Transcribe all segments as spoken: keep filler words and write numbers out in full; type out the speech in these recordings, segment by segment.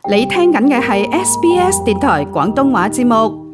你聽緊嘅係 S B S 電台廣東話節目。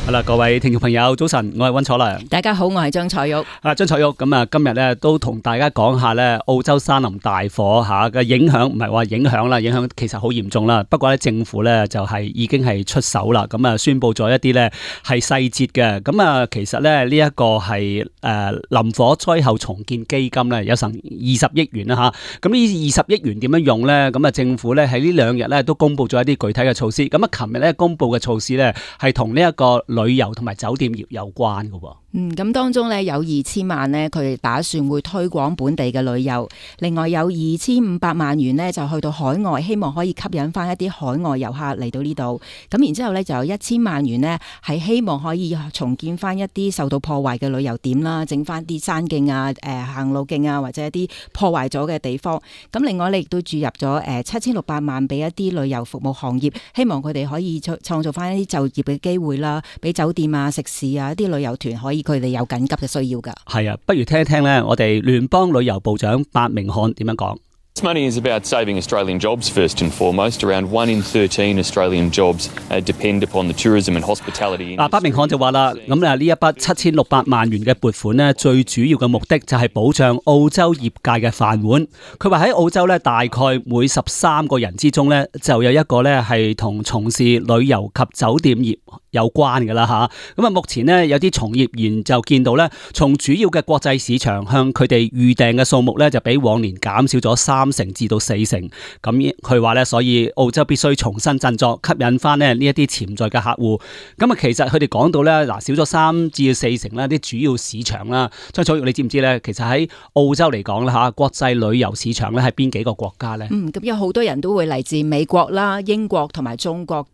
好啦，各位聽眾朋友，早晨，我係溫楚良。大家好，我係張彩玉。啊，張彩玉，咁啊，今日咧都同大家講下咧澳洲山林大火吓嘅影響，唔係話影響啦，影響其實好嚴重啦。不過咧，政府咧就係已經係出手啦，咁啊宣布咗一啲咧係細節嘅。咁啊，其實咧呢一個係誒林火災後重建基金咧有成二十億元啦吓。咁呢二十億元點樣用咧？咁啊，政府咧喺呢兩日咧都公布咗一啲具體嘅措施。咁啊，琴日咧公布嘅措施咧係同呢一個旅遊同埋酒店業有關嘅。嗯，咁當中咧有二千萬咧，佢哋打算會推廣本地嘅旅遊。另外有二千五百萬元咧，就去到海外，希望可以吸引翻一啲海外遊客嚟到呢度。咁然之後咧就有一千萬元呢，係希望可以重建翻一啲受到破壞嘅旅遊點啦，整翻啲山徑啊、誒、呃、行路徑啊，或者一啲破壞咗嘅地方。咁另外咧亦都注入咗誒七千六百萬俾一啲旅遊服務行業，希望佢哋可以創造翻一啲就業嘅機會啦，俾酒店啊、食肆啊、一啲旅遊團可以佢哋有緊急嘅需要㗎。係啊，不如聽一聽咧，我哋聯邦旅遊部長白明漢點樣講。This money is about saving Australian jobs first and foremost. Around one in thirteen Australian jobs uh, depend upon the tourism and hospitality. 嗱，白明漢就話啦，咁啊呢一筆七千六百萬元嘅撥款呢，最主要嘅目的就係保障澳洲業界嘅飯碗。佢話喺澳洲咧，大概每十三個人之中咧，就有一個咧係同從事旅遊及酒店業有關嘅啦吓。咁啊，目前呢，有啲從業員就見到咧，從主要嘅國際市場向佢哋預訂嘅數目咧，就比往年減少咗三成至到四成。咁佢話咧，所以澳洲必須重新振作，吸引翻咧呢一啲潛在嘅客戶。咁啊，其實佢哋講到咧，嗱少咗三至四成啦，啲主要市場啦。張楚玉，你知唔知咧？其實喺澳洲嚟講啦吓，國際旅遊市場咧係邊幾個國家咧？嗯，咁有好多人都會嚟自美國啦、英國同埋中國，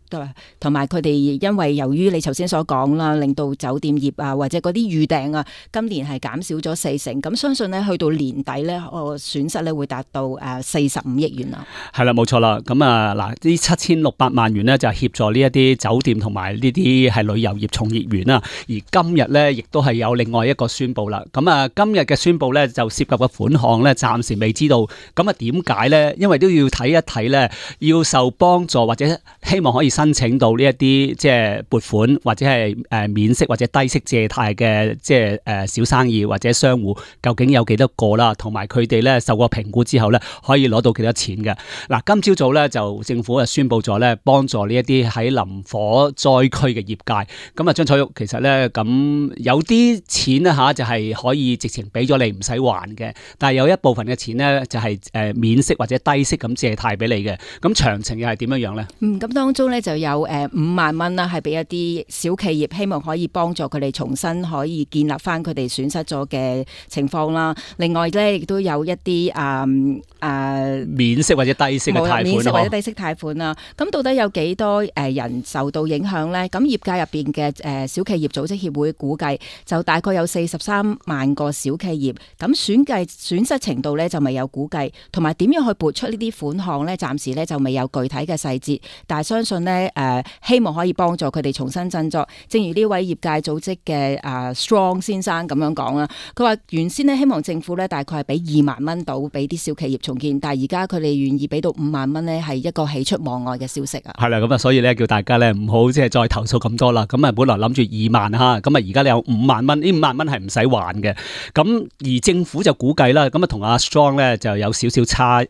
同埋佢哋因為由於你頭先所講啦，令到酒店業啊或者嗰啲預訂啊，今年係減少咗四成。咁相信咧去到年底咧，個損失咧會達到誒四十五億元啦。係啦，冇錯啦。咁啊嗱，呢七千六百萬元咧就協助呢一啲酒店同埋呢啲係旅遊業從業員啦。而今日咧亦都係有另外一個宣布啦。咁啊，今日嘅宣布咧就涉及嘅款項咧暫時未知道。咁啊，點解咧？因為都要睇一睇咧，要受幫助或者希望可以申請到呢一啲即係撥款或者係誒免息或者低息借貸嘅即係誒小生意或者商戶，究竟有幾多個啦？同埋佢哋咧受過評估之後咧，可以攞到幾多錢嘅？嗱，今朝早咧就政府就宣布咗咧，幫助呢一啲喺林火災區嘅業界。咁啊，張彩玉，其實咧咁有啲錢咧吓就係可以直情俾咗你唔使還嘅，但係有一部分嘅錢咧就係誒免息或者低息咁借貸俾你嘅。咁詳情又係點樣樣咧？嗯，咁當中咧就有誒五萬蚊啦，係俾一啲小企業，希望可以幫助佢哋重新可以建立翻佢哋損失咗嘅情況啦。另外咧亦都有一啲誒誒免息或者低息嘅貸款，免息或者低息貸款啦。咁到底有幾多誒人受到影響咧？咁業界入邊嘅誒小企業組織協會估計就大概有四十三萬個小企業。咁損計損失程度咧就未有估計，同埋點樣去撥出呢啲款項咧，暫時咧就未有具體嘅細節。但係相信咧誒、呃，希望可以幫助佢哋重新振作。正如呢位業界組織嘅誒 Strong 先生咁樣講啦，佢話原先咧希望政府咧大概係俾二萬蚊到俾啲小企業重建，但係而家佢哋願意俾到五萬蚊咧，係一個喜出望外嘅消息啊！係啦，咁啊，所以咧叫大家咧唔好即係再投訴咁多啦。咁啊，本來諗住二萬吓，咁啊而家你有五萬蚊，呢五萬蚊係唔使還嘅。咁而政府就估計啦，咁啊同阿 Strong 咧就有少少差誒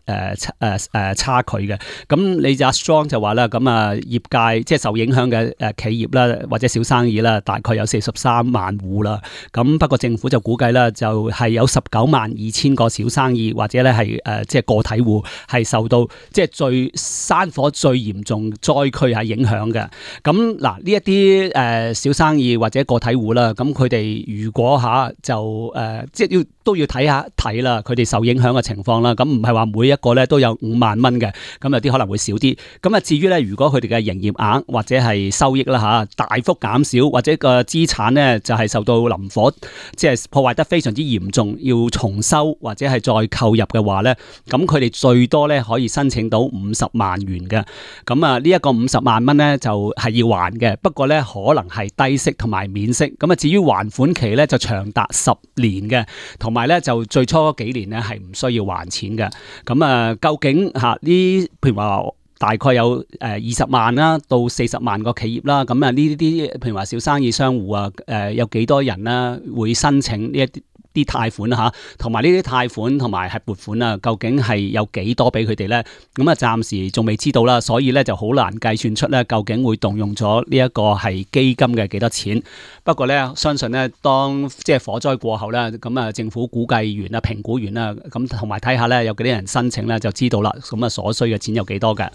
誒誒差距嘅。咁你就阿 Strong 就話啦，咁啊業界即係受影響嘅誒企業啦，或者小生意啦，大概有四十三萬戶啦。咁不過政府就估計啦，就係有十九萬二千個小生意或者咧係誒即係個體戶係受到即係最山火最嚴重災區係影響嘅。咁嗱呢一啲誒小生意或者個體戶啦，咁佢哋如果吓就誒即係要都要睇下睇啦，佢哋受影響嘅情況啦。咁唔係話每一個咧都有五萬蚊嘅，咁有啲可能會少啲。咁啊至於咧，如果佢哋嘅營業額或者係收益啦吓大幅減少，或者個資產咧就係受到林火即係破壞得非常之嚴重，要重修或者係再購入嘅話咧，咁佢哋最多咧可以申請到五十萬元嘅。咁啊呢一個五十萬蚊咧就係要還嘅，不過咧可能係低息同埋免息。咁啊至於還款期咧就長達十年嘅，同埋咧就最初嗰幾年咧係唔需要還錢嘅。咁啊，究竟嚇呢？譬如話大概有誒二十萬啦到四十萬個企業啦，咁啊呢啲譬如話小生意商戶啊，誒有幾多人啦會申請呢一啲啲貸款嚇，同埋呢啲貸款同埋係撥款啊，究竟係有幾多俾佢哋咧？咁啊，暫時仲未知道啦，所以咧就好難計算出咧究竟會動用咗呢一個係基金嘅幾多錢。不過咧，相信咧當即係火災過後咧，咁啊政府估計完啦、評估完啦，咁同埋睇下咧有幾多人申請咧，就知道啦。咁啊所需嘅錢有幾多嘅？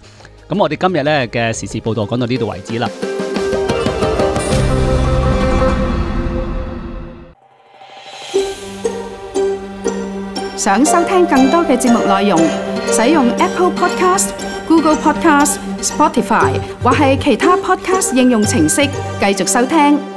咁我哋今日咧嘅時事報導講到呢度為止啦。想收聽更多嘅節目內容，使用 Apple Podcast、Google Podcast、Spotify 或係其他 Podcast 應用程式繼續收聽。